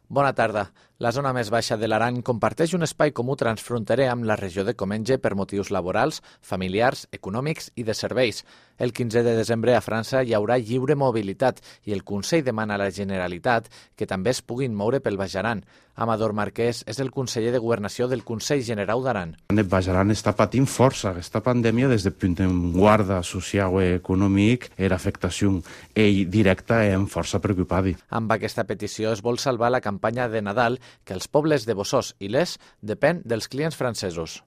Bona tarda. La zona més baixa de l'Aran comparteix un espai comú transfronterer amb la regió de Comenge per motius laborals, familiars, econòmics i de serveis. El 15 de desembre a França hi haurà lliure mobilitat i el Consell demana a la Generalitat que també es puguin moure pel Baix Aran. Amador Marquès és el conseller de Governació del Consell Generau d'Aran. El Baix Aran està patint força aquesta pandèmia des del punt de guarda social i econòmic. Era afectació directa i força preocupada. Amb aquesta petició es vol salvar la campanya de Nadal que els pobles de Bossòst i Les depèn dels clients francesos.